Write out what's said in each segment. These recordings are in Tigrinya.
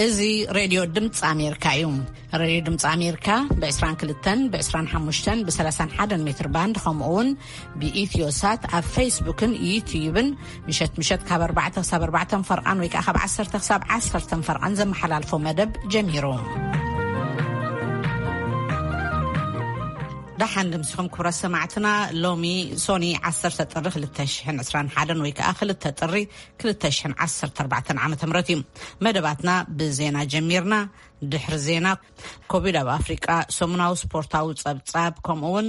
እዚ ሬድዮ ድምፂ ኣሜሪካ እዩ። ሬድዮ ድምፂ ኣሜሪካ ብ22፣ ብ25፣ ብ31 ሜትር ባንድ፣ ከምኡ እውን ብኢትዮ ሳት ኣብ ፌስቡክን ዩትዩብን ምሸት ምሸት ካብ ኣርባዕተ ክሳብ ኣርባዕተ ፈርቓን ወይ ከዓ ካብ ዓሰርተ ክሳብ ዓሰርተ ፈርቓን ዘመሓላልፎ መደብ ጀሚሩ። ደሓን ድምሲኹም ክብረት ሰማዕትና። ሎሚ ሶኒ ዓሰርተ ጥሪ ክልተ ሽሕን ዕስራን ሓደን ወይ ከዓ ክልተ ጥሪ ክልተ ሽሕን ዓሰርተ ኣርባዕተን ዓመተ ምህረት እዩ። መደባትና ብዜና ጀሚርና። ድሕሪ ዜና፣ ኮቪድ ኣብ ኣፍሪቃ፣ ሰሙናዊ ስፖርታዊ ጸብጻብ፣ ከምኡ እውን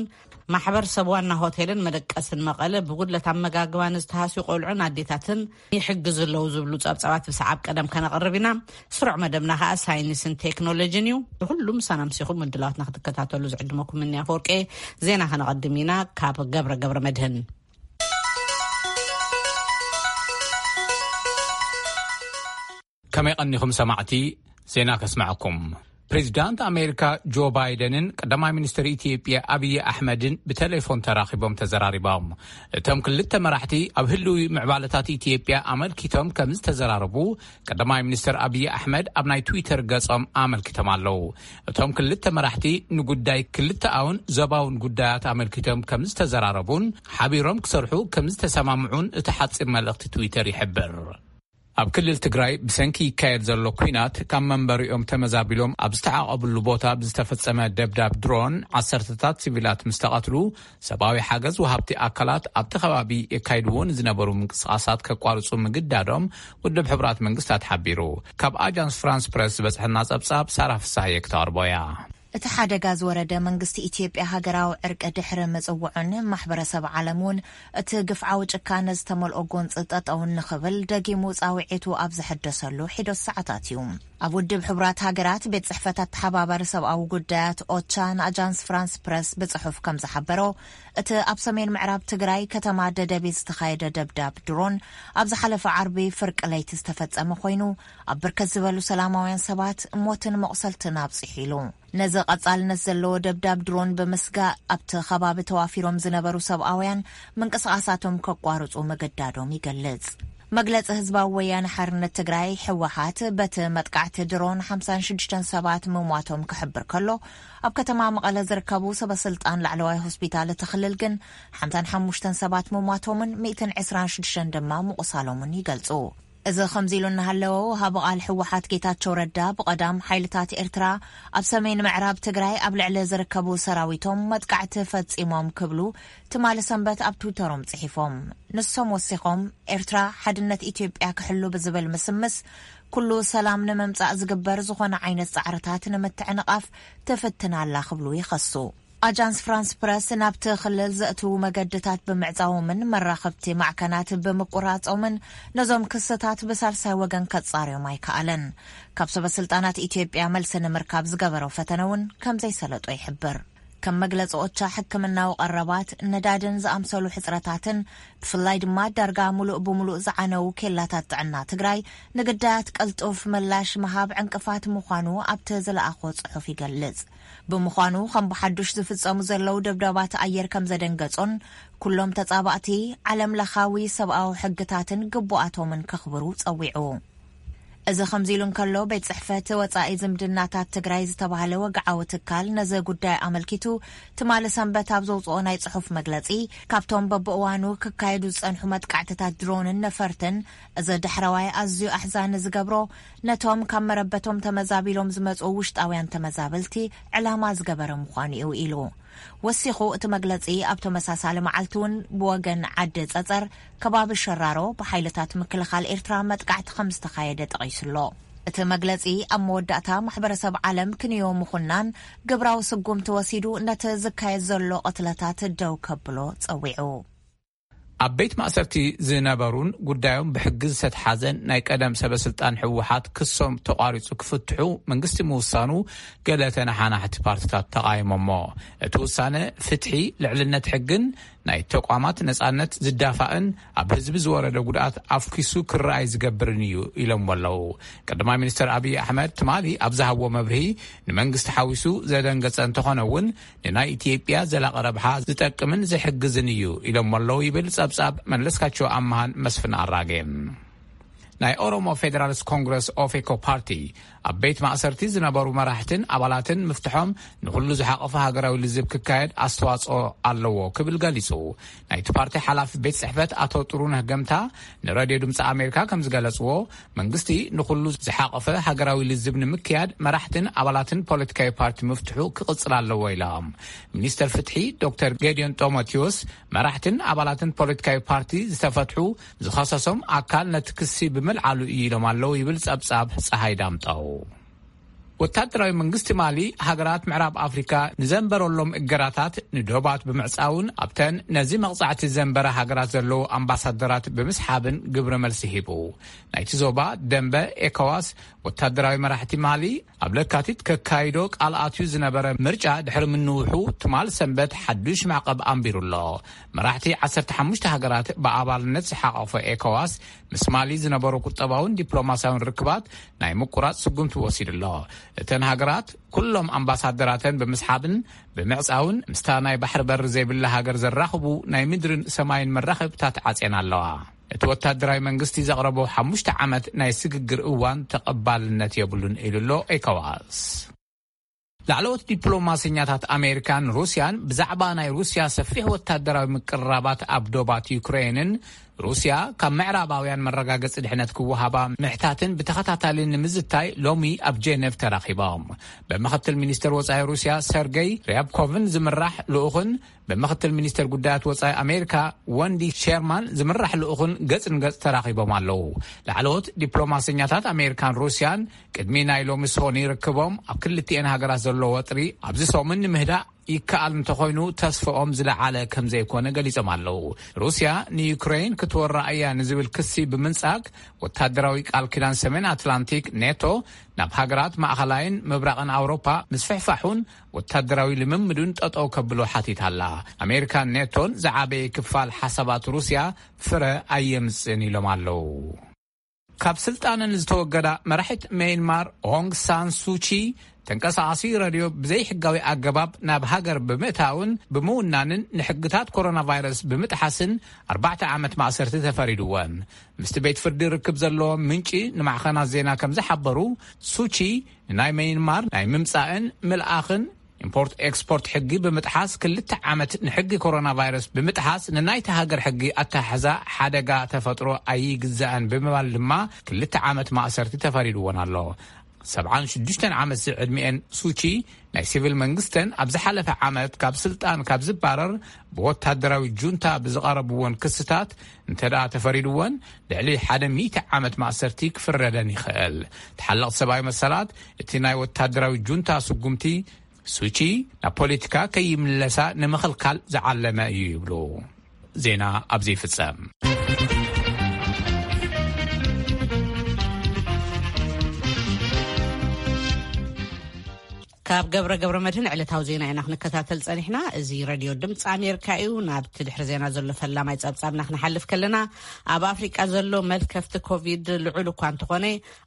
ማሕበር ሰብ ዋና ሆቴልን መደቀስን መቐለ ብጉድለት ኣመጋግባ ንዝተሃስዩ ቆልዑን ኣዴታትን ይሕግዙ ኣለዉ ዝብሉ ጸብጻባት ብሰዓብ ቀደም ከነቕርብ ኢና። ስሩዕ መደብና ከኣ ሳይንስን ቴክኖሎጂን እዩ። ንኹሉ ምሳና ምሲኹም ምድላዋትና ክትከታተሉ ዝዕድመኩም ምንያ ኣፈወርቄ። ዜና ከነቐድም ኢና ካብ ገብረ ገብረ መድህን። ከመይ ቀኒኹም ሰማዕቲ? ዜና ከስምዐኩም። ፕሬዚዳንት ኣሜሪካ ጆ ባይደንን ቀዳማይ ሚኒስትር ኢትዮጵያ ኣብይ ኣሕመድን ብቴሌፎን ተራኺቦም ተዘራሪቦም። እቶም ክልተ መራሕቲ ኣብ ህልዊ ምዕባለታት ኢትዮጵያ ኣመልኪቶም ከም ዝተዘራረቡ ቀዳማይ ሚኒስትር ኣብይ ኣሕመድ ኣብ ናይ ትዊተር ገጾም ኣመልኪቶም ኣለዉ። እቶም ክልተ መራሕቲ ንጉዳይ ክልተኣውን ዞባውን ጉዳያት ኣመልኪቶም ከም ዝተዘራረቡን ሓቢሮም ክሰርሑ ከም ዝተሰማምዑን እቲ ሓጺር መልእኽቲ ትዊተር ይሕብር። ኣብ ክልል ትግራይ ብሰንኪ ይካየድ ዘሎ ኲናት ካብ መንበሪኦም ተመዛቢሎም ኣብ ዝተዓቐብሉ ቦታ ብዝተፈጸመ ደብዳብ ድሮን ዓሰርተታት ሲቪላት ምስ ተቐትሉ፣ ሰብኣዊ ሓገዝ ወሃብቲ ኣካላት ኣብቲ ከባቢ የካይድዎ ንዝነበሩ ምንቅስቓሳት ከቋርጹ ምግዳዶም ውድብ ሕቡራት መንግስታት ሓቢሩ። ካብ ኣጃንስ ፍራንስ ፕረስ ዝበጽሐና ጸብጻብ ሳራ ፍሳሃየ ክተቕርቦ እያ። እቲ ሓደጋ ዝወረደ መንግስቲ ኢትዮጵያ ሃገራዊ ዕርቂ ድሕሪ ምጽውዑን ማሕበረሰብ ዓለም እውን እቲ ግፍዓዊ ጭካነ ዝተመልኦ ጎንፂ ጠጠው ንኽብል ደጊሙ ፃውዒቱ ኣብ ዘሐደሰሉ ሒደት ሰዓታት እዩ። ኣብ ውድብ ሕቡራት ሃገራት ቤት ጽሕፈት ኣተሓባባሪ ሰብኣዊ ጉዳያት ኦቻ ንኣጃንስ ፍራንስ ፕረስ ብጽሑፍ ከም ዝሓበሮ፣ እቲ ኣብ ሰሜን ምዕራብ ትግራይ ከተማ ደደቢት ዝተኻየደ ደብዳብ ድሮን ኣብ ዝሓለፈ ዓርቢ ፍርቂ ለይቲ ዝተፈጸመ ኮይኑ፣ ኣብ ብርክት ዝበሉ ሰላማውያን ሰባት ሞትን መቑሰልትን ኣብጺሑ ኢሉ። ነዚ ቀጻልነት ዘለዎ ደብዳብ ድሮን ብምስጋእ፣ ኣብቲ ከባቢ ተዋፊሮም ዝነበሩ ሰብኣውያን ምንቅስቓሳቶም ከቋርጹ ምግዳዶም ይገልጽ። መግለጺ ህዝባዊ ወያነ ሓርነት ትግራይ፣ ህወሓት፣ በቲ መጥቃዕቲ ድሮን ሓምሳን ሽዱሽተን ሰባት ምሟቶም ክሕብር ከሎ፣ ኣብ ከተማ መቐለ ዝርከቡ ሰበስልጣን ላዕለዋይ ሆስፒታል እቲ ክልል ግን ሓምሳን ሓሙሽተን ሰባት ምሟቶምን ሚእትን ዕስራን ሽዱሽተን ድማ ምቑሳሎምን ይገልጹ። እዚ ከምዚ ኢሉ እናሃለወ፣ ወሃቢ ቃል ህወሓት ጌታቸው ረዳ፣ ብቐዳም ሓይልታት ኤርትራ ኣብ ሰሜን ምዕራብ ትግራይ ኣብ ልዕሊ ዝርከቡ ሰራዊቶም መጥቃዕቲ ፈጺሞም ክብሉ ትማሊ ሰንበት ኣብ ትዊተሮም ጽሒፎም። ንሶም ወሲኾም፣ ኤርትራ ሓድነት ኢትዮጵያ ክሕሉ ብዝብል ምስምስ፣ ኩሉ ሰላም ንምምጻእ ዝግበር ዝኾነ ዓይነት ጻዕርታት ንምትዕንቓፍ ትፍትን ኣላ ክብሉ ይኸሱ። ኣጃንስ ፍራንስ ፕረስ ናብቲ ክልል ዘእትዉ መገድታት ብምዕጻዎምን መራኸብቲ ማዕከናት ብምቁራጾምን ነዞም ክስታት ብሳልሳይ ወገን ከጻርዮም ኣይከኣለን። ካብ ሰበ ስልጣናት ኢትዮጵያ መልሲ ንምርካብ ዝገበሮ ፈተነ እውን ከም ዘይሰለጦ ይሕብር። ከም መግለጺ ኦቻ፣ ሕክምናዊ ቀረባት፣ ነዳድን ዝኣምሰሉ ሕጽረታትን፣ ብፍላይ ድማ ዳርጋ ሙሉእ ብሙሉእ ዝዓነዉ ኬላታት ጥዕና ትግራይ ንግዳያት ቀልጡፍ ምላሽ ምሃብ ዕንቅፋት ምዃኑ ኣብቲ ዝለኣኾ ጽሑፍ ይገልጽ። ብምዃኑ፣ ከም ብሓዱሽ ዝፍጸሙ ዘለዉ ደብዳባት ኣየር ከም ዘደንገጾን፣ ኩሎም ተጻባእቲ ዓለም ለኻዊ ሰብኣዊ ሕግታትን ግቡኣቶምን ከኽብሩ ጸዊዑ። እዚ ከምዚ ኢሉ እንከሎ፣ ቤት ጽሕፈት ወጻኢ ዝምድናታት ትግራይ ዝተባህለ ወግዓዊ ትካል ነዚ ጉዳይ ኣመልኪቱ ትማሊ ሰንበት ኣብ ዘውጽኦ ናይ ጽሑፍ መግለጺ፣ ካብቶም በብእዋኑ ክካየዱ ዝጸንሑ መጥቃዕትታት ድሮንን ነፈርትን፣ እዚ ዳሕረዋይ ኣዝዩ ኣሕዛኒ ዝገብሮ፣ ነቶም ካብ መረበቶም ተመዛቢሎም ዝመጹ ውሽጣውያን ተመዛበልቲ ዕላማ ዝገበረ ምዃኑ እዩ ኢሉ። ወሲኹ እቲ መግለጺ፣ ኣብ ተመሳሳሊ መዓልቲ እውን ብወገን ዓዲ ጸጸር፣ ከባቢ ሸራሮ፣ ብሓይልታት ምክልኻል ኤርትራ መጥቃዕቲ ከም ዝተኻየደ ጠቒሱ ኣሎ። እቲ መግለጺ ኣብ መወዳእታ፣ ማሕበረሰብ ዓለም ክንዮ ምኹናን ግብራዊ ስጉምቲ ወሲዱ ነቲ ዝካየድ ዘሎ ቅትለታት ደው ከብሎ ጸዊዑ። ኣብ ቤት ማእሰርቲ ዝነበሩን ጉዳዮም ብሕጊ ዝተትሓዘን ናይ ቀደም ሰበ ስልጣን ህወሓት ክሶም ተቋሪጹ ክፍትሑ መንግስቲ ምውሳኑ ገለ ተነሓናሕቲ ፓርቲታት ተቓይሞሞ። እቲ ውሳነ ፍትሒ፣ ልዕልነት ሕግን ናይ ተቋማት ነጻነት ዝዳፋእን ኣብ ህዝቢ ዝወረደ ጉድኣት ኣፍኪሱ ክረኣይ ዝገብርን እዩ ኢሎምዎ ኣለዉ። ቀዳማይ ሚኒስትር ኣብይ ኣሕመድ ትማሊ ኣብ ዝሃብዎ መብርሂ፣ ንመንግስቲ ሓዊሱ ዘደንገጸ እንተኾነ እውን፣ ንናይ ኢትዮጵያ ዘላቒ ረብሓ ዝጠቅምን ዝሕግዝን እዩ ኢሎምዎ ኣለዉ ይብል ጸብጻብ መለስካቸው ኣምሃን መስፍን ኣራጌን። ናይ ኦሮሞ ፌደራሊስት ኮንግረስ ኦፌኮ ፓርቲ ኣብ ቤት ማእሰርቲ ዝነበሩ መራሕትን ኣባላትን ምፍትሖም ንኹሉ ዝሓቐፈ ሃገራዊ ልዝብ ክካየድ ኣስተዋጽኦ ኣለዎ ክብል ገሊጹ። ናይቲ ፓርቲ ሓላፊ ቤት ጽሕፈት ኣቶ ጥሩነህ ገምታ ንሬድዮ ድምፂ ኣሜሪካ ከም ዝገለጽዎ፣ መንግስቲ ንኹሉ ዝሓቐፈ ሃገራዊ ልዝብ ንምክያድ መራሕትን ኣባላትን ፖለቲካዊ ፓርቲ ምፍትሑ ክቕጽል ኣለዎ ኢሎም። ሚኒስተር ፍትሒ ዶክተር ጌዲዮን ጢሞቴዎስ፣ መራሕትን ኣባላትን ፖለቲካዊ ፓርቲ ዝተፈትሑ ዝኸሰሶም ኣካል ነቲ ክሲ ብምልዓሉ እዩ ኢሎም ኣለዉ ይብል ጸብጻብ ጸሃይ ዳምጠው። ወታደራዊ መንግስቲ ማሊ፣ ሃገራት ምዕራብ ኣፍሪካ ንዘንበረሎም እገዳታት ንዶባት ብምዕጻውን ኣብተን ነዚ መቕጻዕቲ ዘንበረ ሃገራት ዘለዉ ኣምባሳደራት ብምስሓብን ግብረ መልሲ ሂቡ። ናይቲ ዞባ ደንበ ኤኮዋስ፣ ወታደራዊ መራሕቲ ማሊ ኣብ ለካቲት ከካይዶ ቃል ኣትዩ ዝነበረ ምርጫ ድሕሪ ምንውሑ፣ ትማል ሰንበት ሓዱሽ ማዕቐብ ኣንቢሩ ኣሎ። መራሕቲ ዓሰርተ ሓሙሽተ ሃገራት ብኣባልነት ዝሓቐፈ ኤኮዋስ፣ ምስ ማሊ ዝነበሩ ቁጠባውን ዲፕሎማስያውን ርክባት ናይ ምቁራጽ ስጉምቲ ወሲዱ ኣሎ። እተን ሃገራት ኩሎም ኣምባሳደራተን ብምስሓብን ብምዕጻውን፣ ምስታ ናይ ባሕሪ በሪ ዘይብላ ሃገር ዘራኽቡ ናይ ምድርን ሰማይን መራኸብታት ዓጽየን ኣለዋ። እቲ ወታደራዊ መንግስቲ ዘቕረቦ ሓሙሽተ ዓመት ናይ ስግግር እዋን ተቐባልነት የብሉን ኢሉ ኣሎ ኤኮዋስ። ላዕለዎት ዲፕሎማሰኛታት ኣሜሪካን ሩስያን ብዛዕባ ናይ ሩስያ ሰፊሕ ወታደራዊ ምቅርራባት ኣብ ዶባት ዩክሬንን፣ ሩስያ ካብ ምዕራባውያን መረጋገጺ ድሕነት ክወሃባ ምሕታትን ብተኸታታሊ ንምዝታይ ሎሚ ኣብ ጄኔቭ ተራኺቦም። ብምክትል ሚኒስተር ወጻኢ ሩስያ ሰርገይ ርያብኮቭን ዝምራሕ ልኡኽን ብምክትል ሚኒስተር ጉዳያት ወጻኢ ኣሜሪካ ወንዲ ሸርማን ዝምራሕ ልኡኽን ገጽ ንገጽ ተራኺቦም ኣለዉ። ላዕለዎት ዲፕሎማሰኛታት ኣሜሪካን ሩስያን ቅድሚ ናይ ሎሚ ሶኒ ርክቦም፣ ኣብ ክልቲኤን ሃገራት ዘሎ ወጥሪ ኣብዚ ሰሙን ንምህዳእ ይከኣል እንተኾይኑ፣ ተስፍኦም ዝለዓለ ከም ዘይኮነ ገሊጾም ኣለዉ። ሩስያ ንዩክሬን ክትወራ እያ ንዝብል ክሲ ብምንጻግ፣ ወታደራዊ ቃል ኪዳን ሰሜን ኣትላንቲክ ኔቶ ናብ ሃገራት ማእኸላይን ምብራቕን ኣውሮፓ ምስፍሕፋሑን ወታደራዊ ልምምዱን ጠጠው ከብሎ ሓቲታ ኣላ። ኣሜሪካን ኔቶን ዝዓበየ ክፋል ሓሳባት ሩስያ ፍረ ኣየምጽእን ኢሎም ኣለዉ። ካብ ስልጣነን ዝተወገዳ መራሒት ሜይንማር ኦንግ ሳን ሱቺ፣ ተንቀሳቓሲ ረድዮ ብዘይሕጋዊ ኣገባብ ናብ ሃገር ብምእታውን ብምውናንን ንሕግታት ኮሮና ቫይረስ ብምጥሓስን ኣርባዕተ ዓመት ማእሰርቲ ተፈሪድወን። ምስቲ ቤት ፍርዲ ርክብ ዘለዎ ምንጪ ንማዕኸናት ዜና ከም ዝሓበሩ፣ ሱቺ ንናይ ሜይንማር ናይ ምምጻእን ምልኣኽን ኢምፖርት ኤክስፖርት ሕጊ ብምጥሓስ፣ ክልተ ዓመት ንሕጊ ኮሮና ቫይረስ ብምጥሓስ ንናይቲ ሃገር ሕጊ ኣተሓሕዛ ሓደጋ ተፈጥሮ ኣይግዛእን ብምባል ድማ ክልተ ዓመት ማእሰርቲ ተፈሪድወን ኣሎ። ሰብዓን ሽዱሽተን ዓመት ዝዕድሚኤን ሱቺ፣ ናይ ሲቪል መንግስተን ኣብ ዝሓለፈ ዓመት ካብ ስልጣን ካብ ዝባረር ብወታደራዊ ጁንታ ብዝቐረብወን ክስታት እንተ ደኣ ተፈሪድወን፣ ልዕሊ ሓደ ሚእቲ ዓመት ማእሰርቲ ክፍረደን ይኽእል። ተሓለቕቲ ሰብኣዊ መሰላት፣ እቲ ናይ ወታደራዊ ጁንታ ስጉምቲ ሱቺ ናብ ፖለቲካ ከይምለሳ ንምኽልካል ዝዓለመ እዩ ይብሉ። ዜና ኣብዚ ይፍጸም። ካብ ገብረ ገብረ መድህን ዕለታዊ ዜና ኢና ክንከታተል ጸኒሕና። እዚ ሬድዮ ድምፂ ኣሜሪካ እዩ። ናብቲ ድሕሪ ዜና ዘሎ ፈላማይ ጸብጻብና ክንሓልፍ ከለና፣ ኣብ ኣፍሪቃ ዘሎ መልከፍቲ ኮቪድ ልዑል እኳ እንተኾነ፣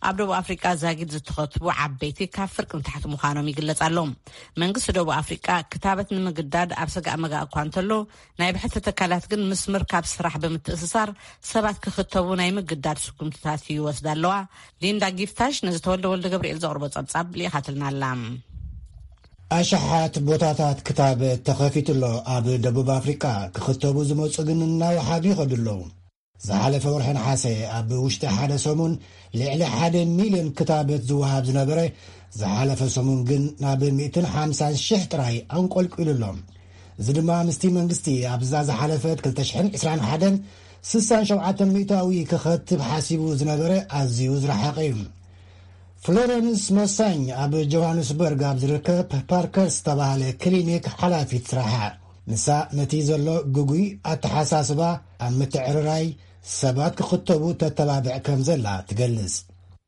ኣብ ደቡብ ኣፍሪቃ ዛጊድ ዝተኸትቡ ዓበይቲ ካብ ፍርቂ ንታሕቲ ምዃኖም ይግለጽ ኣሎ። መንግስቲ ደቡብ ኣፍሪቃ ክታበት ንምግዳድ ኣብ ሰጋእ መጋእ እኳ እንተሎ፣ ናይ ብሕቲ ትካላት ግን ምስ ምርካብ ስራሕ ብምትእስሳር ሰባት ክኽተቡ ናይ ምግዳድ ስጉምትታት ይወስዳ ኣለዋ። ሊንዳ ጊፍታሽ ነዚ ተወልደ ወልደ ገብርኤል ዘቕርቦ ጸብጻብ ልኢኻትልና ኣላ። ኣሽሓት ቦታታት ክታበት ተኸፊቱ ኣሎ። ኣብ ደቡብ ኣፍሪቃ ክኽተቡ ዝመጹ ግን እናወሓዱ ይኸዱ ኣለዉ። ዝሓለፈ ወርሒ ነሓሰ ኣብ ውሽጢ ሓደ ሰሙን ልዕሊ ሓደ ሚልዮን ክታበት ዝወሃብ ዝነበረ፣ ዝሓለፈ ሰሙን ግን ናብ ሚእትን ሓምሳን ሽሕ ጥራይ ኣንቆልቂሉ ኣሎ። እዚ ድማ ምስቲ መንግስቲ ኣብዛ ዝሓለፈት ክልተ ሽሕን ዕስራን ሓደን ስሳን ሸውዓተን ሚእታዊ ክኸትብ ሓሲቡ ዝነበረ ኣዝዩ ዝረሓቐ እዩ። ፍሎረንስ መሳኝ ኣብ ጆሃንስበርግ ኣብ ዝርከብ ፓርከር ዝተባህለ ክሊኒክ ሓላፊት ስራሓ። ንሳ ነቲ ዘሎ ግጉይ ኣተሓሳስባ ኣብ ምትዕርራይ ሰባት ክኽተቡ ተተባብዕ ከም ዘላ ትገልጽ።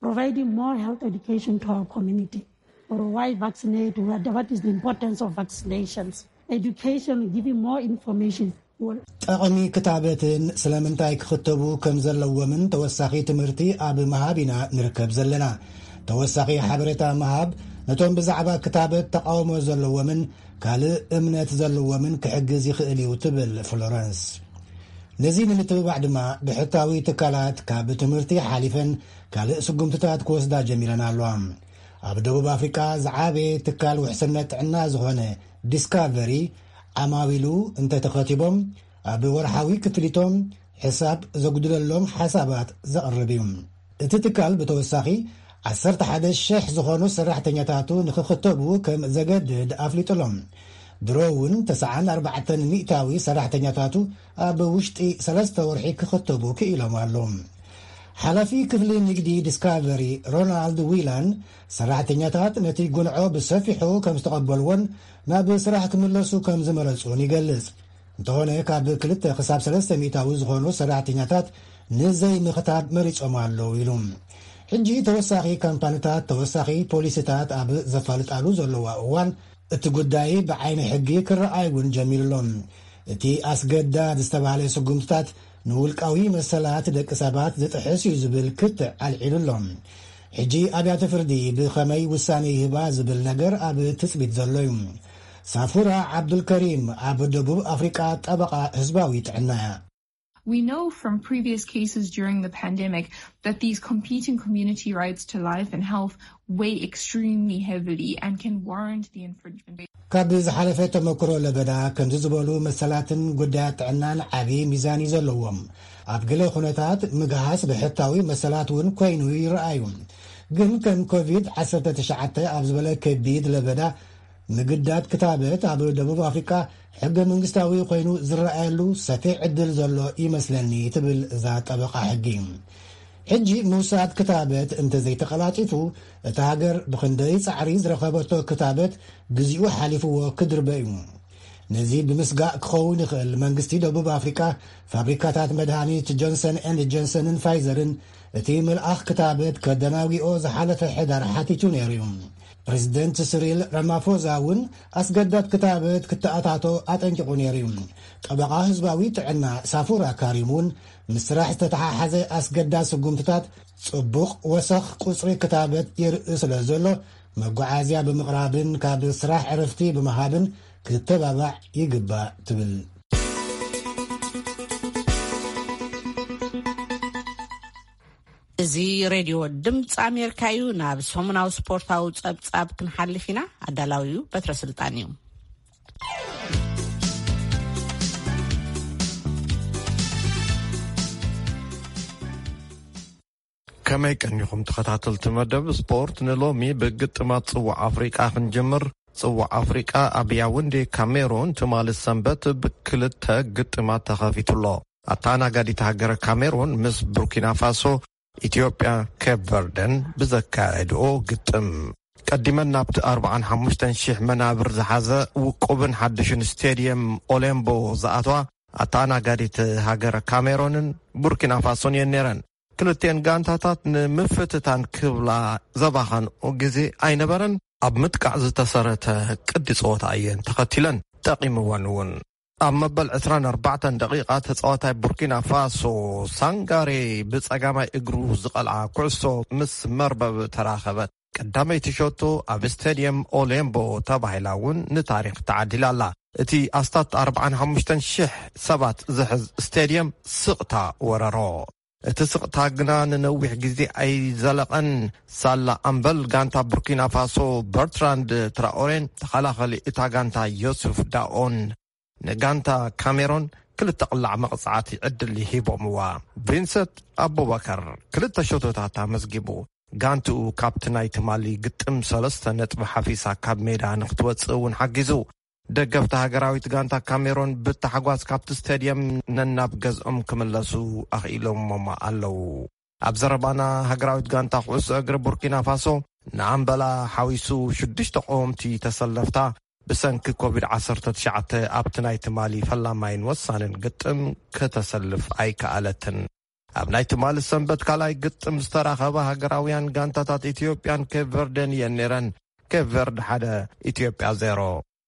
Providing more health education to our community. Or why vaccinate? What, what is the importance of vaccinations? Education, giving more information. ጠቕሚ ክታበትን ስለምንታይ ክኽተቡ ከም ዘለዎምን ተወሳኺ ትምህርቲ ኣብ ምሃብ ኢና ንርከብ ዘለና። ተወሳኺ ሓበሬታ ምሃብ ነቶም ብዛዕባ ክታበት ተቓውሞ ዘለዎምን ካልእ እምነት ዘለዎምን ክሕግዝ ይኽእል እዩ ትብል ፍሎረንስ። ነዚ ንምትብባዕ ድማ ብሕታዊ ትካላት ካብ ትምህርቲ ሓሊፈን ካልእ ስጉምትታት ክወስዳ ጀሚረን ኣለዋ። ኣብ ደቡብ ኣፍሪቃ ዝዓበየ ትካል ውሕስነት ጥዕና ዝኾነ ዲስካቨሪ፣ ዓማዊሉ እንተተኸቲቦም ኣብ ወርሓዊ ክፍሊቶም ሕሳብ ዘጉድለሎም ሓሳባት ዘቕርብ እዩ። እቲ ትካል ብተወሳኺ ዓሰርተ ሓደ ሽሕ ዝኾኑ ሰራሕተኛታቱ ንኽኽተቡ ከም ዘገድድ ኣፍሊጡሎም። ድሮ እውን ተስዓን ኣርባዕተን ሚእታዊ ሰራሕተኛታቱ ኣብ ውሽጢ ሰለስተ ወርሒ ክኽተቡ ክኢሎም ኣለዉ። ሓላፊ ክፍሊ ንግዲ ዲስካቨሪ ሮናልድ ዊላን፣ ሰራሕተኛታት ነቲ ጉንዖ ብሰፊሑ ከም ዝተቐበልዎን ናብ ስራሕ ክምለሱ ከም ዝመረጹን ይገልጽ። እንተኾነ ካብ ክልተ ክሳብ ሰለስተ ሚእታዊ ዝኾኑ ሰራሕተኛታት ንዘይምኽታብ መሪጾም ኣለዉ ኢሉ። ሕጂ ተወሳኺ ካምፓኒታት ተወሳኺ ፖሊሲታት ኣብ ዘፋልጣሉ ዘለዋ እዋን፣ እቲ ጉዳይ ብዓይኒ ሕጊ ክረኣይ እውን ጀሚሩ ኣሎ። እቲ ኣስገዳድ ዝተባህለ ስጉምትታት ንውልቃዊ መሰላት ደቂ ሰባት ዝጥሕስ እዩ ዝብል ክትዕ ኣልዒሉ ኣሎ። ሕጂ ኣብያተ ፍርዲ ብኸመይ ውሳኔ ይህባ ዝብል ነገር ኣብ ትጽቢት ዘሎ እዩ። ሳፉራ ዓብዱልከሪም ኣብ ደቡብ ኣፍሪቃ ጠበቓ ህዝባዊ ጥዕና እያ። We know from previous cases during the pandemic that these competing community rights to life and health weigh extremely heavily and can warrant the infringement. ካብ ዝሓለፈ ተመክሮ ለበዳ፣ ከምዚ ዝበሉ መሰላትን ጉዳያት ጥዕናን ዓቢ ሚዛን እዩ ዘለዎም። ኣብ ገለ ኩነታት ምግሃስ ብሕታዊ መሰላት እውን ኮይኑ ይረኣዩ። ግን ከም ኮቪድ ዓሰርተ ትሽዓተ ኣብ ዝበለ ከቢድ ለበዳ፣ ምግዳድ ክታበት ኣብ ደቡብ ኣፍሪቃ ሕገ መንግስታዊ ኮይኑ ዝረኣየሉ ሰፊሕ ዕድል ዘሎ ይመስለኒ፣ ትብል እዛ ጠበቓ ሕጊ። ሕጂ ምውሳድ ክታበት እንተዘይተቐላጢፉ፣ እታ ሃገር ብኽንደይ ጻዕሪ ዝረኸበቶ ክታበት ግዚኡ ሓሊፍዎ ክድርበ እዩ። ነዚ ብምስጋእ ክኸውን ይኽእል፣ መንግስቲ ደቡብ ኣፍሪቃ ፋብሪካታት መድሃኒት ጆንሰን ኤንድ ጆንሰንን ፋይዘርን እቲ ምልኣኽ ክታበት ከደናጒኦ ዝሓለፈ ሕዳር ሓቲቱ ነይሩ እዩ። ፕሬዚደንት ስሪል ራማፎዛ እውን ኣስገዳድ ክታበት ክተኣታቶ ኣጠንቂቑ ነይሩ እዩ። ጠበቓ ህዝባዊ ጥዕና ሳፉራ ካሪም እውን ምስ ስራሕ ዝተተሓሓዘ ኣስገዳድ ስጉምትታት ጽቡቕ ወሰኽ ቁጽሪ ክታበት የርኢ ስለ ዘሎ፣ መጓዓዝያ ብምቕራብን ካብ ስራሕ ዕረፍቲ ብምሃብን ክተባባዕ ይግባእ ትብል። እዚ ሬድዮ ድምፂ ኣሜሪካ እዩ። ናብ ሰሙናዊ ስፖርታዊ ጸብጻብ ክንሓልፍ ኢና። ኣዳላዊኡ በትረ ስልጣን እዩ። ከመይ ቀኒኹም ተኸታተልቲ መደብ ስፖርት? ንሎሚ ብግጥማት ጽዋዕ ኣፍሪቃ ክንጅምር። ጽዋዕ ኣፍሪቃ ኣብ ያውንዴ ካሜሮን ትማሊ ሰንበት ብክልተ ግጥማት ተኸፊቱ ኣሎ። ኣተኣናጋዲት ሃገረ ካሜሮን ምስ ቡርኪና ፋሶ፣ ኢትዮጵያ፣ ኬፕ ቨርደን ብዘካየድኦ ግጥም፣ ቀዲመን ናብቲ ኣርባዓን ሓሙሽተን ሺሕ መናብር ዝሓዘ ውቁብን ሓድሽን ስቴድየም ኦሌምቦ ዝኣትዋ ኣተኣናጋዲት ሃገረ ካሜሮንን ቡርኪና ፋሶን እየን ነይረን። ክልቲኤን ጋንታታት ንምፍትታን ክብላ ዘባኸንኦ ግዜ ኣይነበረን። ኣብ ምጥቃዕ ዝተሰረተ ቅዲ ጸወታ እየን ተኸቲለን፣ ጠቒምወን እውን። ኣብ መበል ዕስራን ኣርባዕተን ደቂቓ ተጻዋታይ ቡርኪና ፋሶ ሳንጋሬ ብጸጋማይ እግሩ ዝቐልዓ ኩዕሶ ምስ መርበብ ተራኸበት። ቀዳመይቲ ሸቶ ኣብ ስቴድየም ኦሌምቦ ተባሂላ እውን ንታሪኽ ተዓዲላ ኣላ። እቲ ኣስታት ኣርባዓን ሓሙሽተን ሽሕ ሰባት ዝሕዝ ስቴድየም ስቕታ ወረሮ። እቲ ስቕታ ግና ንነዊሕ ግዜ ኣይዘለቐን። ሳላ ኣምበል ጋንታ ቡርኪና ፋሶ በርትራንድ ትራኦሬን ተኸላኸሊ እታ ጋንታ ዮሱፍ ዳኦን ንጋንታ ካሜሮን ክልተ ቅላዕ መቕጻዕቲ ዕድል ሂቦምዋ። ቪንሰንት ኣቡበከር ክልተ ሸቶታት ኣመዝጊቡ። ጋንትኡ ካብቲ ናይ ትማሊ ግጥም ሰለስተ ነጥቢ ሓፊሳ ካብ ሜዳ ንክትወጽእ እውን ሓጊዙ። ደገፍቲ ሃገራዊት ጋንታ ካሜሮን ብታሕጓስ ካብቲ ስቴድየም ነናብ ገዝኦም ክምለሱ ኣኽኢሎሞም ኣለዉ። ኣብ ዘረባና፣ ሃገራዊት ጋንታ ኩዕሶ እግሪ ቡርኪና ፋሶ ንኣምበላ ሓዊሱ ሽዱሽተ ቀወምቲ ተሰለፍታ ብሰንኪ ኮቪድ ዓሰርተ ትሽዓተ ኣብቲ ናይ ትማሊ ፈላማይን ወሳንን ግጥም ከተሰልፍ ኣይከኣለትን። ኣብ ናይ ትማሊ ሰንበት ካልኣይ ግጥም ዝተራኸባ ሃገራውያን ጋንታታት ኢትዮጵያን ኬፕ ቨርደን እየን ነይረን። ኬፕ ቨርድ ሓደ፣ ኢትዮጵያ ዜሮ።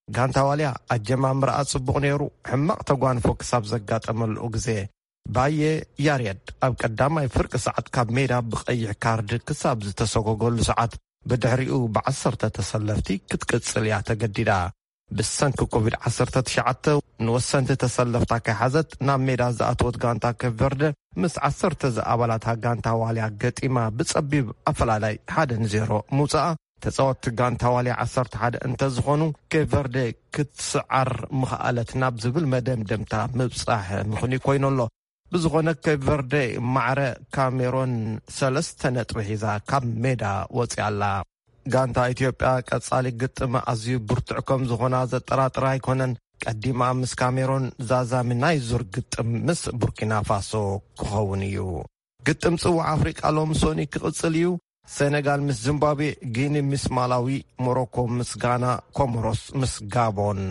ጋንታ ዋልያ ኣጀማምራኣ ጽቡቕ ነይሩ፣ ሕማቕ ተጓንፎ ክሳብ ዘጋጠመሉ ግዜ። ባየ ያሬድ ኣብ ቀዳማይ ፍርቂ ሰዓት ካብ ሜዳ ብቐይሕ ካርድ ክሳብ ዝተሰጎገሉ ሰዓት፣ ብድሕሪኡ ብዓሰርተ ተሰለፍቲ ክትቅጽል እያ ተገዲዳ። ብሰንኪ ኮቪድ ዓሰርተ ትሽዓተ ንወሰንቲ ተሰለፍታ ከይሓዘት ናብ ሜዳ ዝኣተወት ጋንታ ኬፕ ቨርደ፣ ምስ ዓሰርተ ዝኣባላታ ጋንታ ዋልያ ገጢማ ብጸቢብ ኣፈላላይ ሓደ ንዜሮ ምውጻኣ፣ ተጻወትቲ ጋንታ ዋልያ ዓሰርተ ሓደ እንተዝኾኑ፣ ኬፕ ቨርደ ክትስዓር ምኽኣለት ናብ ዝብል መደምደምታ ምብጻሕ ምኽንዩ ኮይኑ ኣሎ። ብዝኾነ፣ ኬፕ ቨርደ ማዕረ ካሜሮን ሰለስተ ነጥቢ ሒዛ ካብ ሜዳ ወጺኣ ኣላ። ጋንታ ኢትዮጵያ ቀጻሊ ግጥም ኣዝዩ ብርቱዕ ከም ዝኾና ዘጠራጥር ኣይኮነን። ቀዲማ ምስ ካሜሮን ዛዛሚ ናይ ዙር ግጥም ምስ ቡርኪና ፋሶ ክኸውን እዩ። ግጥም ጽዋዕ ኣፍሪቃ ሎም ሶኒ ክቕጽል እዩ። ሴኔጋል ምስ ዚምባብዌ፣ ጊኒ ምስ ማላዊ፣ ሞሮኮ ምስ ጋና፣ ኮሞሮስ ምስ ጋቦን።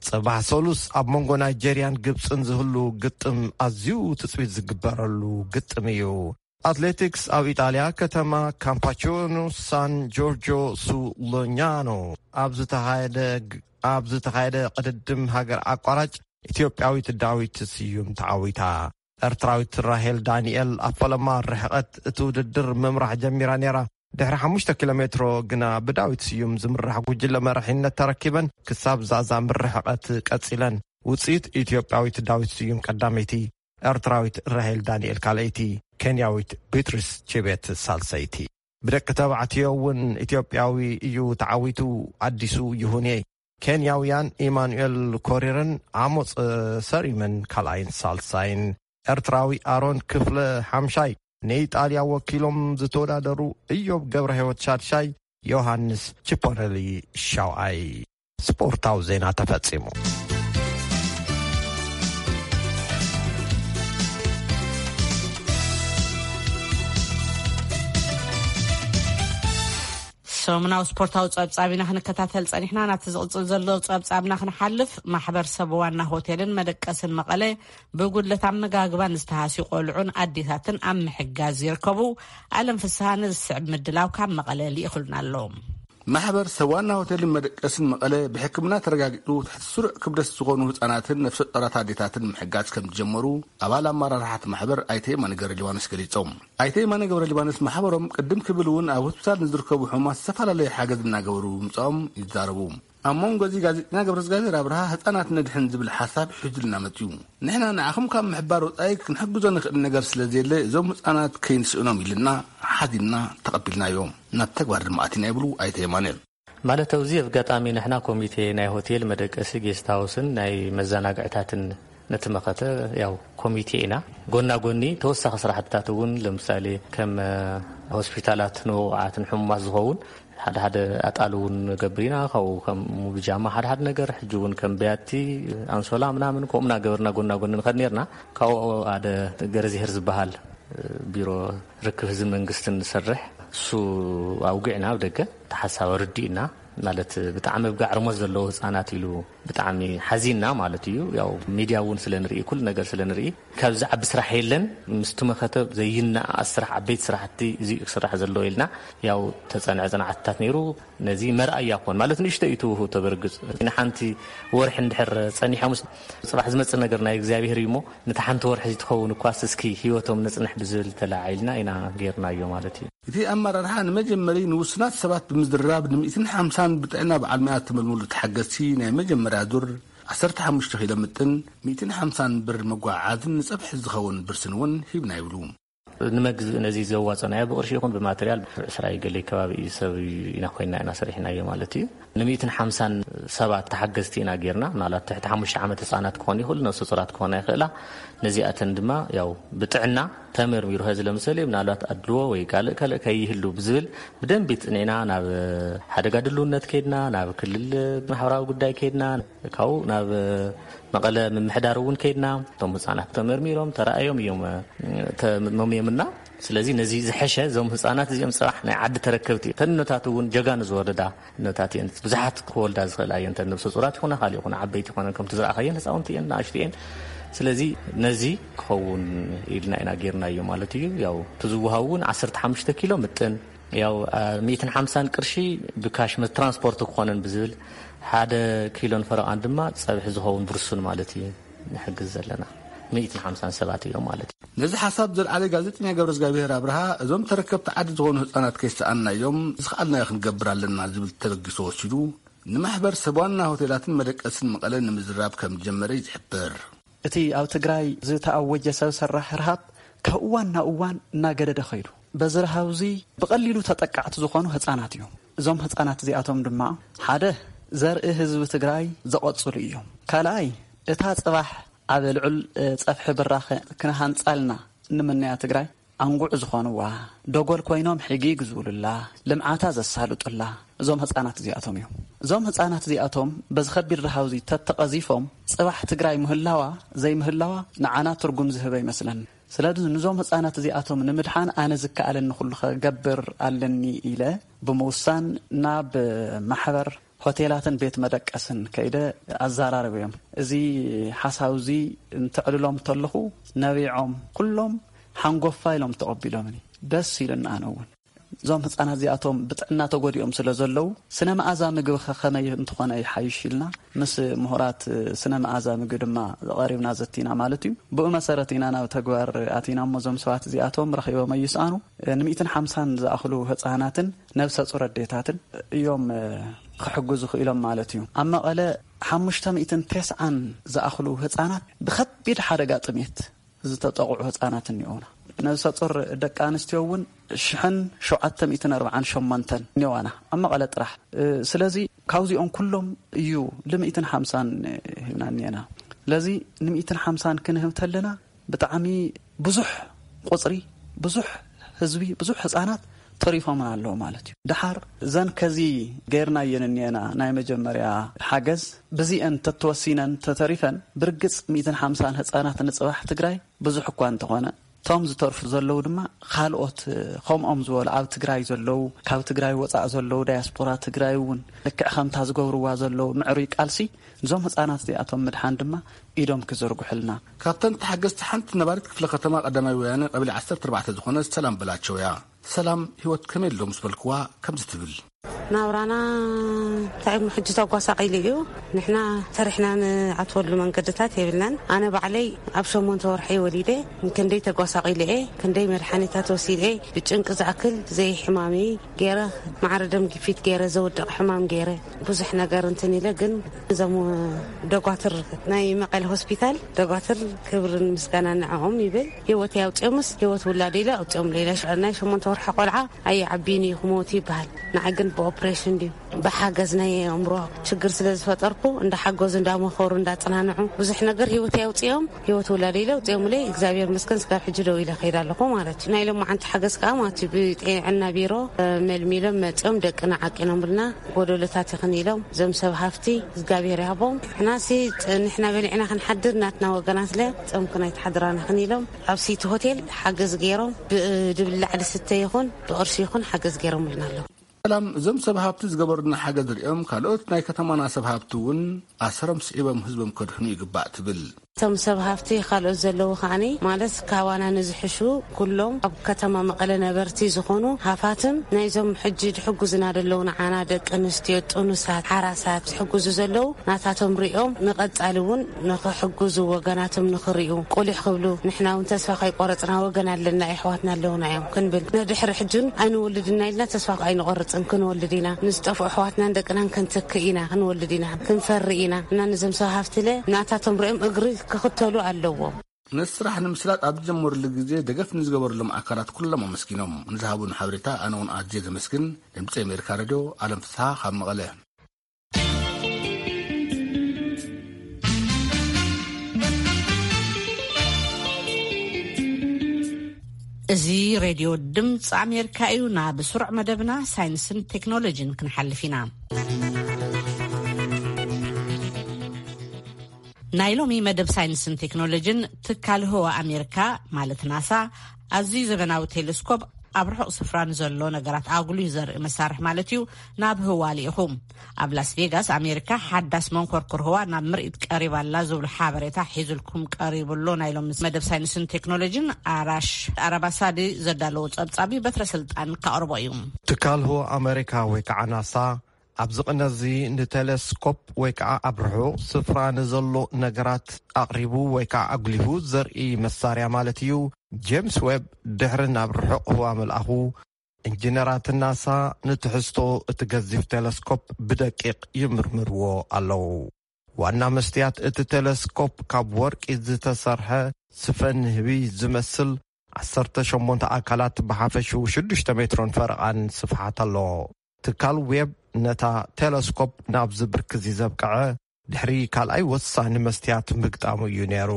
ጽባሕ ሰሉስ ኣብ መንጎ ናይጀርያን ግብጽን ዝህሉ ግጥም ኣዝዩ ትጽቢት ዝግበረሉ ግጥም እዩ። ኣትሌቲክስ ኣብ ኢጣልያ ከተማ ካምፓቺኖ ሳን ጆርጆ ሱ ሎኛኖ ኣብ ዝተኻየደ ግ-፣ ኣብ ዝተኻየደ ቅድድም ሃገር ኣቋራጭ ኢትዮጵያዊት ዳዊት ስዩም ተዓዊታ። ኤርትራዊት ራሄል ዳንኤል ኣብ ፈለማ ርሕቐት እቲ ውድድር ምምራሕ ጀሚራ ነይራ። ድሕሪ ሓሙሽተ ኪሎ ሜትሮ ግና ብዳዊት ስዩም ዝምራሕ ጉጅለ መራሒነት ተረኪበን ክሳብ ዛዛሚ ርሕቐት ቀጺለን። ውጽኢት ኢትዮጵያዊት ዳዊት ስዩም ቀዳመይቲ፣ ኤርትራዊት ራሄል ዳንኤል ካልኣይቲ፣ ኬንያዊት ቢትሪስ ቺቤት ሳልሰይቲ። ብደቂ ተባዕትዮ እውን ኢትዮጵያዊ እዩ ተዓዊቱ። ኣዲሱ ይሁኔ፣ ኬንያውያን ኢማኑኤል ኮሪርን ዓሞፅ ሰሪምን ካልኣይን ሳልሳይን፣ ኤርትራዊ ኣሮን ክፍለ ሓምሻይ፣ ንኢጣልያ ወኪሎም ዝተወዳደሩ እዮብ ገብረ ህይወት ሻድሻይ፣ ዮሃንስ ቺፖረሊ ሻውኣይ። ስፖርታዊ ዜና ተፈጺሙ። ሰሙናዊ ስፖርታዊ ጸብጻብ ኢና ክንከታተል ጸኒሕና። ናብቲ ዝቕጽል ዘሎ ጸብጻብና ክንሓልፍ፣ ማሕበር ሰብ ዋና ሆቴልን መደቀስን መቐለ ብጉድለት ኣመጋግባ ንዝተሃስዩ ቆልዑን ኣዴታትን ኣብ ምሕጋዝ ይርከቡ። ኣለም ፍስሃ ነዚ ዝስዕብ ምድላው ካብ መቐለ ልኢኹልና ኣሎ። ማሕበር ሰብ ዋና ሆቴልን መደቀስን መቐለ ብሕክምና ተረጋጊጹ ትሕቲ ስሩዕ ክብደት ዝኾኑ ህጻናትን ነፍሰ ጡራት ኣዴታትን ምሕጋዝ ከም ዝጀመሩ ኣባል ኣመራርሓ እቲ ማሕበር ኣይተ የማነ ገብረ ሊባኖስ ገሊጾም። ኣይተ የማነ ገብረ ሊባኖስ ማሕበሮም ቅድም ክብል እውን ኣብ ሆስፒታል ንዝርከቡ ሕሙማት ዝተፈላለየ ሓገዝ እናገበሩ ምምጻኦም ይዛረቡ። ኣብ መንጎ እዚ ጋዜጠኛ ገብረ እግዚኣብሔር ኣብርሃ ህጻናት ነድሕን ዝብል ሓሳብ ሒዙልና መጽዩ። ንሕና ንዓኹም ካብ ምሕባር ወጻኢ ክንሕግዞ ንኽእል ነገር ስለ ዘየለ እዞም ህጻናት ከይንስእኖም ኢልና ሓዚንና ተቐቢልናዮም። ናብ ተግባር ድማ ኣቲና ይብሉ ኣይተ የማነ። ማለት ኣብዚ ኣጋጣሚ ንሕና ኮሚቴ ናይ ሆቴል መደቀሲ ጌስት ሃውስን ናይ መዘናግዕታትን ነቲ መኸተ ያው ኮሚቴ ኢና። ጎና ጎኒ ተወሳኺ ስራሕትታት እውን ለምሳሌ ከም ሆስፒታላት ንውቑዓትን ሕሙማት ዝኸውን ሓደ ሓደ ኣጣል እውን ንገብር ኢና። ካብኡ ከም ብጃማ ሓደ ሓደ ነገር፣ ሕጂ እውን ከም ብያቲ፣ ኣንሶላ ምናምን ከምኡ እናገበርና ጎና ጎኒ ንኸድ ነርና። ካብኡ ሓደ ገረዚሄር ዝበሃል ቢሮ ርክብ ህዝቢ መንግስትን ዝሰርሕ እሱ ኣውግዕና ኣብ ደገ ተሓሳብ ርዲእና ማለት ብጣዕሚ ኣብ ጋዕርሞት ዘለዉ ህፃናት ኢሉ ብጣዕሚ ሓዚንና ማለት እዩ። ያው ሚድያ እውን ስለ ንርኢ ኩሉ ነገር ስለ ንርኢ ካብዚ ዓቢ ስራሕ የለን ምስቲ መኸተ ዘይነኣኣስ ስራሕ ዓበይቲ ስራሕቲ እዚ ክስራሕ ዘለዎ ኢልና ያው ተፀንዐ ፅንዓትታት ነይሩ። ነዚ መርኣያ ኮን ማለት ንእሽቶ እዩ ትውህብ ተበርግፅ ንሓንቲ ወርሒ እንድሕር ፀኒሖምስ ፅባሕ ዝመፅእ ነገር ናይ እግዚኣብሔር እዩ እሞ ነቲ ሓንቲ ወርሒ እዚ ትኸውን እኳስ እስኪ ህይወቶም ነፅንሕ ብዝብል ተለዓዒልና ኢና ጌርናዮ ማለት እዩ። እቲ ኣመራርሓ ንመጀመሪ ንውሱናት ሰባት ብምዝርራብ ን ሚእትን ሓምሳን ብጥዕና በዓል መያ ተመልመሉ ተሓገዝቲ ናይ መጀመርያ ዙር ዓሰርተ ሓሙሽተ ኪሎ ምጥን ሚእትን ሓምሳን ብር መጓዓዓዝን ንፀብሒ ዝኸውን ብርስን እውን ሂብና ይብሉ። ንመግዝ ነዚ ዘዋፀናዮ ብቕርሺ ይኹን ብማተርያል ዕስራ ገለ ከባቢ እዩ ሰብ ኢና ኮይና ኢና ሰሪሕናዮ ማለት እዩ። ንሚእትን ሓምሳን ሰባት ተሓገዝቲ ኢና ጌርና። ምናልባት ትሕቲ ሓሙሽተ ዓመት ህፃናት ክኾን ይኽእሉ፣ ነፍሰ ጡራት ክኾና ይኽእላ። ነዚኣተን ድማ ያው ብጥዕና ተመርሚሩ፣ ኸዚ ለምሳሌ ምናልባት ኣድልዎ ወይ ካልእ ካልእ ከይህሉ ብዝብል ብደንቢ ጽኒዕና ናብ ሓደጋ ድልውነት ከይድና፣ ናብ ክልል ማሕበራዊ ጉዳይ ከይድና፣ ካብኡ ናብ መቐለ ምምሕዳር እውን ከይድና፣ እቶም ህፃናት ተመርሚሮም ተረኣዮም እዮም፣ ተመምዮምና። ስለዚ ነዚ ዝሐሸ እዞም ህፃናት እዚኦም ፅባሕ ናይ ዓዲ ተረከብቲ እተን እኖታት እውን ጀጋኑ ዝወለዳ እኖታት እየን። ብዙሓት ክወልዳ ዝኽእላ እየን። እተን ነብሰ ፁራት ይኹና ካልእ ይኹና ዓበይቲ ይኾነን ከምቲ ዝረኣኻየን ህፃውንቲ እየን፣ ንኣሽቱ እየን። ስለዚ ነዚ ክኸውን ኢልና ኢና ጌርናዮ ማለት እዩ። ያው እቲ ዝወሃብ እውን ዓሰርተ ሓሙሽተ ኪሎ ምጥን፣ ያው፣ አ፣ ሚእትን ሓምሳን ቅርሺ ብካሽ መ-፣ ትራንስፖርት ክኾነን ብዝብል ሓደ ኪሎን ፈረቓን ድማ ፀብሒ ዝኸውን ብርሱን ማለት እዩ ንሕግዝ ዘለና። ሚእትን ሓምሳን ሰባት እዮም ማለት እዩ። ነዚ ሓሳብ ዘልዓለ ጋዜጠኛ ገብረ እግዚኣብሔር ኣብርሃ፣ እዞም ተረከብቲ ዓዲ ዝኾኑ ህፃናት ከይሰኣንናዮም ዝኸኣልናዮ ክንገብር ኣለና ዝብል ተበጊሶ ወሲዱ፣ ንማሕበር ሰብ ዋና ሆቴላትን መደቀስን መቐለ ንምዝራብ ከም ዝጀመረ እዩ ዝሕብር። እቲ ኣብ ትግራይ ዝተኣወጀ ሰብ ሰራሕ ርሃብ ካብ እዋን ናብ እዋን እናገደደ ኸይዱ። በዚ ረሃብ እዚ ብቐሊሉ ተጠቃዕቲ ዝኾኑ ህፃናት እዮም። እዞም ህጻናት እዚኣቶም ድማ ሓደ ዘርኢ ህዝቢ ትግራይ ዘቐጽሉ እዮም። ካልኣይ እታ ጽባሕ ኣብ ልዑል ጸፍሒ ብራኸ ክንሃንጻልና እንምነያ ትግራይ ኣንጉዕ ዝኾንዋ፣ ደጎል ኮይኖም ሕጊ ይግዝብሉላ፣ ልምዓታ ዘሳልጡላ እዞም ህጻናት እዚኣቶም እዮም። እዞም ህጻናት እዚኣቶም በዚ ከቢድ ረሃውዚ ተተቐዚፎም ጽባሕ ትግራይ ምህላዋ ዘይምህላዋ ንዓና ትርጉም ዝህበ ይመስለኒ። ስለዚ ንዞም ህጻናት እዚኣቶም ንምድሓን ኣነ ዝከኣለኒ ኩሉ ከገብር ኣለኒ ኢለ ብምውሳን ናብ ማሕበር ሆቴላትን ቤት መደቀስን ከይደ ኣዘራረብዮም። እዚ ሓሳብ እዚ እንትዕልሎም እንተለኹ ነቢዖም ኩሎም ሓንጎፋ ኢሎም ተቐቢሎምኒ። ደስ ኢሉና ኣነ እውን። እዞም ህጻናት እዚኣቶም ብጥዕና ተጎዲኦም ስለ ዘለዉ ስነ መኣዛ ምግቢ ከ ከመይ እንተኾነ ይሓይሽ ኢልና ምስ ምሁራት ስነ መኣዛ ምግቢ ድማ ቀሪብና ዘቲና ማለት እዩ። ብኡ መሰረት ኢና ናብ ተግባር ኣቲና እሞ እዞም ሰባት እዚኣቶም ረኺቦም ኣይስኣኑ። ን150ን ዝኣኽሉ ህጻናትን ነብሰ ጹር ኣዴታትን እዮም ክሕግዙ ክኢሎም ማለት እዩ። ኣብ መቐለ ሓሙሽተ ሚእትን ተስዓን ዝኣኽሉ ህጻናት ብኸቢድ ሓደጋ ጥሜት ዝተጠቕዑ ህጻናት እኒኦና። ነብሰ ጹር ደቂ ኣንስትዮ እውን ሽሕን ሸውዓተ ሚእትን ኣርባዓን ሸሞንተን እኒዋና ኣብ መቐለ ጥራሕ። ስለዚ ካብዚኦም ኩሎም እዩ ል150ን ሂብና እኒና። ስለዚ ን150ን ክንህብ ተለና ብጣዕሚ ብዙሕ ቁፅሪ፣ ብዙሕ ህዝቢ፣ ብዙሕ ህፃናት ተሪፎምና ኣለዉ ማለት እዩ። ደሓር እዘን ከዚ ገይርናየን እኒአና ናይ መጀመርያ ሓገዝ ብዚአን ተተወሲነን ተተሪፈን ብርግፅ ሚእትን ሓምሳን ህፃናት ንፅባሕ ትግራይ ብዙሕ እኳ እንተኾነ እቶም ዝተርፉ ዘለዉ ድማ ካልኦት ከምኦም ዝበሉ ኣብ ትግራይ ዘለዉ ካብ ትግራይ ወፃእ ዘለዉ ዳያስፖራ ትግራይ እውን ልክዕ ከምታ ዝገብርዋ ዘለዉ ምዕሩይ ቃልሲ እዞም ህፃናት እዚኣቶም ምድሓን ድማ ኢዶም ክዝርጉሕልና። ካብተን ተሓገዝቲ ሓንቲ ነባሪት ክፍለ ከተማ ቀዳማይ ወያነ ቀበሌ ዓሰርተ ኣርባዕተ ዝኾነት ሰላም በላቸው እያ። ሰላም ህይወት ከመይ ኣሎ ምስ በልክዋ ከምዚ ትብል። ናብራና እንታይ ሕጂ ተጓሳቒሉ እዩ። ንሕና ሰሪሕና ንኣትወሉ መንገድታት የብልናን። ኣነ ባዕለይ ኣብ ሸሞንተ ወርሒ ወሊደ ክንደይ ተጓሳቒለ እየ፣ ክንደይ መድሓኒታት ወሲደ እየ። ብጭንቂ ዝኣክል ዘይሕማሚ ገይረ፣ ማዕረ ደም ግፊት ገይረ፣ ዘውድቕ ሕማም ገይረ፣ ብዙሕ ነገር እንትን ኢለ፣ ግን እዞም ደጓትር ናይ መቐለ ሆስፒታል ደጓትር ክብርን ምስጋና ንዕኦም ይብል። ህይወት ኣውፅኦምስ ህይወት ውላድ ኢለ ኣውፅኦም ሌላ ሽዑ ናይ ሸሞንተ ወርሒ ቆልዓ ኣይዓብይን እዩ ክመውት ይበሃል። ንዓይ ግን ብኦፕሬሽን ድዩ ብሓገዝ ናይ ኣእምሮ ችግር ስለ ዝፈጠርኩ እንዳሓገዙ እንዳመኸሩ እንዳፅናንዑ ብዙሕ ነገር ህይወት ኣውፅኦም ህይወት ውላድ ኢለ ኣውፅኦም ኢለ እግዚኣብሔር መስገን ስጋብ ሕጂ ደው ኢለ ከይድ ኣለኹ ማለት እዩ። ናይ ሎማዓንቲ ሓገዝ ከዓ ማለት እዩ ብጥዕና ቢሮ መልሚሎም መፅኦም ደቅና ዓቂኖምልና ጎደሎታት ይኽን ኢሎም እዞም ሰብ ሃፍቲ እግዚኣብሔር ይሃቦም። ንሕናሲ ንሕና በሊዕና ክንሓድር ናትና ወገናት ለ ፆምክን ኣይትሓድራና ክን ኢሎም ኣብ ሲቲ ሆቴል ሓገዝ ገይሮም ብድብላዕ ድስተ ይኹን ብቕርሺ ይኹን ሓገዝ ገይሮምልና ኣለዉ። ሰላም እዞም ሰብ ሃብቲ ዝገበሩና ሓገዝ ሪኦም ካልኦት ናይ ከተማና ሰብ ሃብቲ እውን ኣሰሮም ስዒቦም ህዝቦም ከድሕኑ ይግባእ ትብል። እቶም ሰብ ሃፍቲ ካልኦት ዘለዉ ከዓኒ ማለት ካባና ንዝሕሹ ኩሎም ኣብ ከተማ መቐለ ነበርቲ ዝኾኑ ሃፋትም ናይዞም ሕጂ ዝሕጉዝና ዘለዉ ንዓና ደቂ ኣንስትዮ ጥኑሳት ሓራሳት ዝሕጉዙ ዘለዉ ናታቶም ሪኦም ንቐጻሊ እውን ንኽሕጉዙ ወገናቶም ንኽሪኡ ቁሊሕ ክብሉ ንሕና እውን ተስፋ ከይቆረጽና ወገን ኣለና የሕዋትና ኣለዉና እዮም ክንብል ንድሕሪ ሕጅን ኣይንወልድና ኢልና ተስፋ ኣይንቆርጽን ክንወልድ ኢና ንዝጠፍኡ ኣሕዋትናን ደቅናን ክንትክእ ኢና ክንወልድ ኢና ክንፈሪ ኢና እና ንዞም ሰብ ሃፍትለ ናታቶም ሪኦም እግሪ ክኽተሉ ኣለዎም። ነቲ ስራሕ ንምስላጥ ኣብ ዝጀመሩሉ ግዜ ደገፍ ንዝገበሩሎም ኣካላት ኩሎም ኣመስጊኖም ንዝሃቡን ሓበሬታ ኣነ እውን ኣዝየ ዘመስግን። ድምፂ ኣሜሪካ ሬድዮ ኣለም ፍስሓ ካብ መቐለ። እዚ ሬድዮ ድምፂ ኣሜሪካ እዩ። ናብ ስሩዕ መደብና ሳይንስን ቴክኖሎጂን ክንሓልፍ ኢና። ናይ ሎሚ መደብ ሳይንስን ቴክኖሎጂን ትካል ህዋ ኣሜሪካ ማለት ናሳ ኣዝዩ ዘበናዊ ቴሌስኮፕ ኣብ ርሑቕ ስፍራ ንዘሎ ነገራት ኣጉሊሁ ዘርኢ መሳርሒ ማለት እዩ ናብ ህዋ ልኢኹ። ኣብ ላስ ቬጋስ ኣሜሪካ ሓዳስ መንኮርኩር ህዋ ናብ ምርኢት ቀሪባ ኣላ ዝብሉ ሓበሬታ ሒዙልኩም ቀሪቡ ኣሎ። ናይ ሎሚ መደብ ሳይንስን ቴክኖሎጂን ኣራሽ ኣራባሳዲ ዘዳለዎ ጸብጻቢ በትረ ስልጣን ካቕርቦ እዩ። ትካል ህዋ ኣሜሪካ ወይ ከዓ ናሳ ኣብዚ ቅነ እዚ ንቴሌስኮፕ ወይ ከዓ ኣብ ርሑቕ ስፍራ ንዘሎ ነገራት ኣቕሪቡ ወይ ከዓ ኣጉሊሁ ዘርኢ መሳርያ ማለት እዩ። ጄምስ ዌብ ድሕሪ ናብ ርሑቕ ህዋ ምልኣኹ ኢንጂነራት ናሳ ንትሕዝቶ እቲ ገዚፍ ቴለስኮፕ ብደቂቕ ይምርምርዎ ኣለዉ። ዋና መስትያት እቲ ቴለስኮፕ ካብ ወርቂ ዝተሰርሐ ስፈ ንህቢ ዝመስል ዓሰርተ ሸሞንተ ኣካላት ብሓፈሽኡ ሽዱሽተ ሜትሮን ፈረቓን ስፍሓት ኣለዎ። ትካል ዌብ ነታ ቴለስኮፕ ናብዚ ብርክዚ ዘብቅዐ ድሕሪ ካልኣይ ወሳኒ መስትያት ምግጣሙ እዩ ነይሩ።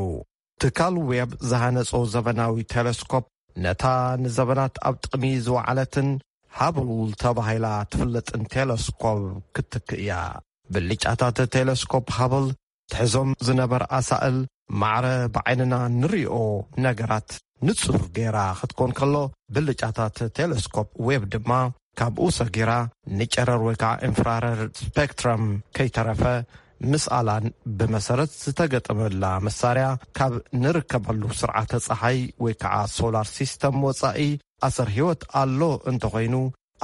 ትካል ዌብ ዝሃነጾ ዘበናዊ ቴለስኮፕ ነታ ንዘበናት ኣብ ጥቕሚ ዝወዓለትን ሃብል ተባሂላ ትፍለጥን ቴለስኮፕ ክትትክእ እያ። ብልጫታት ቴለስኮፕ ሃብል ትሕዞም ዝነበር ኣሳእል ማዕረ ብዓይንና ንሪኦ ነገራት ንጹር ገይራ ክትኮን ከሎ፣ ብልጫታት ቴለስኮፕ ዌብ ድማ ካብኡ ሰጊራ ንጨረር ወይ ከዓ ኢንፍራረድ ስፔክትረም ከይተረፈ ምስኣላን ብመሰረት ዝተገጠመላ መሳርያ ካብ ንርከበሉ ስርዓተ ፀሓይ ወይ ከዓ ሶላር ሲስተም ወፃኢ ኣሰር ህይወት ኣሎ እንተኾይኑ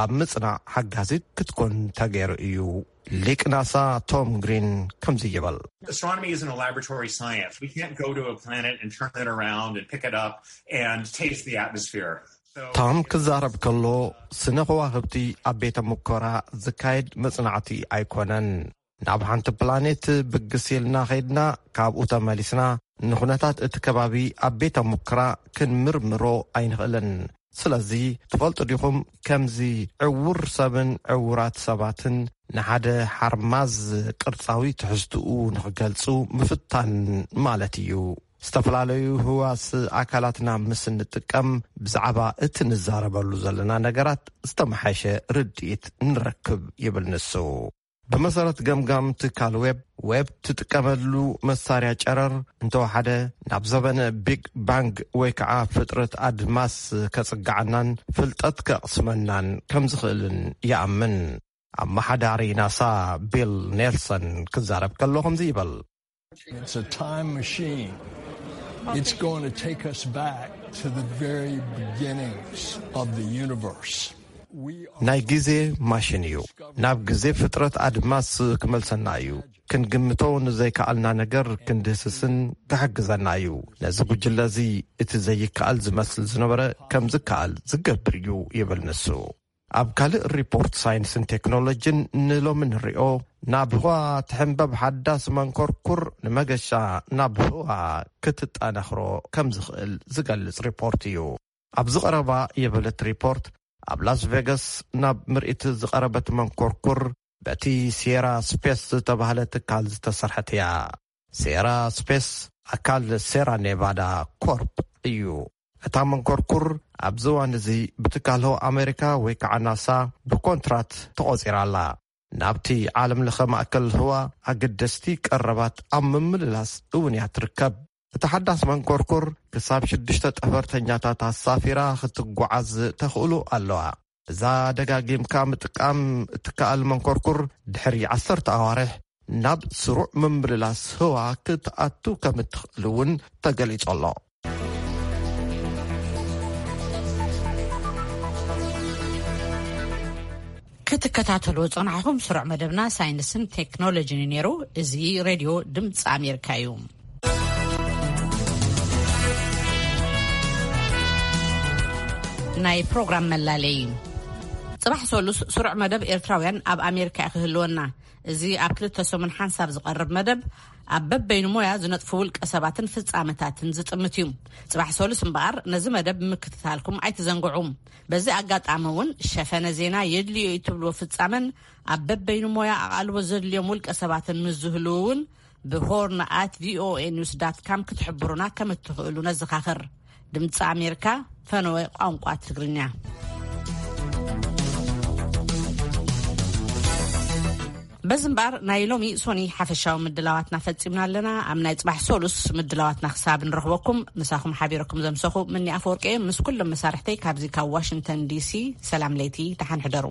ኣብ ምጽናዕ ሓጋዚት ክትኮን ተገይሩ እዩ። ሊቅ ናሳ ቶም ግሪን ከምዚ ይበል። Astronomy isn't a laboratory science. We can't go to a planet and turn it around and pick it up and taste the atmosphere. So ታም ክዛረብ ከሎ፣ ስነ ከዋኽብቲ ኣብ ቤተ ሙከራ ዝካየድ መጽናዕቲ ኣይኮነን። ናብ ሓንቲ ፕላኔት ብግስ ኢልና ኸይድና፣ ካብኡ ተመሊስና ንኹነታት እቲ ከባቢ ኣብ ቤተ ሙከራ ክንምርምሮ ኣይንኽእልን። ስለዚ ትፈልጡ ዲኹም፣ ከምዚ ዕውር ሰብን ዕውራት ሰባትን ንሓደ ሓርማዝ ቅርጻዊ ትሕዝትኡ ንኽገልጹ ምፍታን ማለት እዩ። ዝተፈላለዩ ህዋስ ኣካላትና ምስ እንጥቀም፣ ብዛዕባ እቲ ንዛረበሉ ዘለና ነገራት ዝተመሓሸ ርድኢት ንረክብ ይብል ንሱ። ብመሰረት ገምጋም ትካል ዌብ፣ ዌብ ትጥቀመሉ መሳርያ ጨረር እንተወሓደ ናብ ዘበነ ቢግ ባንግ ወይ ከዓ ፍጥረት ኣድማስ ከጽግዓናን ፍልጠት ከቕስመናን ከም ዝኽእልን ይኣምን። ኣመሓዳሪ ናሳ ቢል ኔልሰን ክዛረብ ከሎ ከምዚ ይበል። It's a time machine. It's going to take us back to the very beginnings of the universe. We are ናይ ግዜ ማሽን እዩ። ናብ ግዜ ፍጥረት ኣድማስ ክመልሰና እዩ። ክንግምቶ ንዘይከኣልና ነገር ክንድህስስን ክሕግዘና እዩ። ነዚ ጉጅለ እዚ እቲ ዘይከኣል ዝመስል ዝነበረ ከም ዝከኣል ዝገብር እዩ ይብል ንሱ። ኣብ ካልእ ሪፖርት ሳይንስን ቴክኖሎጂን ንሎሚ ንሪኦ፣ ናብ ህዋ ትሕንበብ ሓዳስ መንኮርኩር ንመገሻ ናብ ህዋ ክትጠናኽሮ ከም ዝኽእል ዝገልጽ ሪፖርት እዩ። ኣብዚ ቀረባ ይብል እቲ ሪፖርት፣ ኣብ ላስ ቬጋስ ናብ ምርኢት ዝቐረበት መንኮርኩር በቲ ሴራ ስፔስ ዝተባህለ ትካል ዝተሰርሐት እያ። ሴራ ስፔስ ኣካል ሴራ ኔቫዳ ኮርፕ እዩ። እታ መንኮርኩር ኣብዚ እዋን እዚ ብትካል ህዋ ኣሜሪካ ወይ ከዓ ናሳ ብኮንትራት ተቖጺራ ኣላ። ናብቲ ዓለም ለኸ ማእከል ህዋ ኣገደስቲ ቀረባት ኣብ ምምልላስ እውን እያ ትርከብ። እታ ሓዳስ መንኮርኩር ክሳብ ሽዱሽተ ጠፈርተኛታት ኣሳፊራ ክትጓዓዝ ተኽእሎ ኣለዋ። እዛ ደጋጊምካ ምጥቃም እትከኣል መንኮርኩር ድሕሪ ዓሰርተ ኣዋርሕ ናብ ስሩዕ ምምልላስ ህዋ ክትኣቱ ከም እትኽእል እውን ተገሊጹ ኣሎ። ክትከታተልዎ ዝጸናሕኩም ስሩዕ መደብና ሳይንስን ቴክኖሎጂን እዩ ነይሩ። እዚ ሬድዮ ድምፂ ኣሜሪካ እዩ። ናይ ፕሮግራም መላለይ። ጽባሕ ሰሉስ ስሩዕ መደብ ኤርትራውያን ኣብ ኣሜሪካ እዩ ክህልወና። እዚ ኣብ ክልተ ሰሙን ሓንሳብ ዝቐርብ መደብ ኣብ በበይኑ ሞያ ዝነጥፉ ውልቀ ሰባትን ፍጻመታትን ዝጥምት እዩ። ጽባሕ ሰሉስ እምበኣር ነዚ መደብ ምክትታልኩም ኣይትዘንግዑ። በዚ ኣጋጣሚ እውን ሸፈነ ዜና የድልዮ እዩ ትብልዎ ፍጻመን ኣብ በበይኑ ሞያ ኣቓልቦ ዘድልዮም ውልቀ ሰባትን ምስ ዝህልዉ እውን ብሆርን at voa news dot com ክትሕብሩና ከም እትኽእሉ ነዘኻኽር። ድምፂ ኣሜሪካ፣ ፈነወ ቋንቋ ትግርኛ። በዚ እምበኣር ናይ ሎሚ ሶኒ ሓፈሻዊ ምድላዋትና ፈጺምና ኣለና። ኣብ ናይ ጽባሕ ሰሉስ ምድላዋትና ክሳብ ንረኽበኩም ምሳኹም ሓቢረኩም ዘምሰኹ ምኒ ኣፈወርቂ ምስ ኩሎም መሳርሕተይ ካብዚ ካብ ዋሽንግተን ዲሲ ሰላም ለይቲ፣ ደሓን ሕደሩ።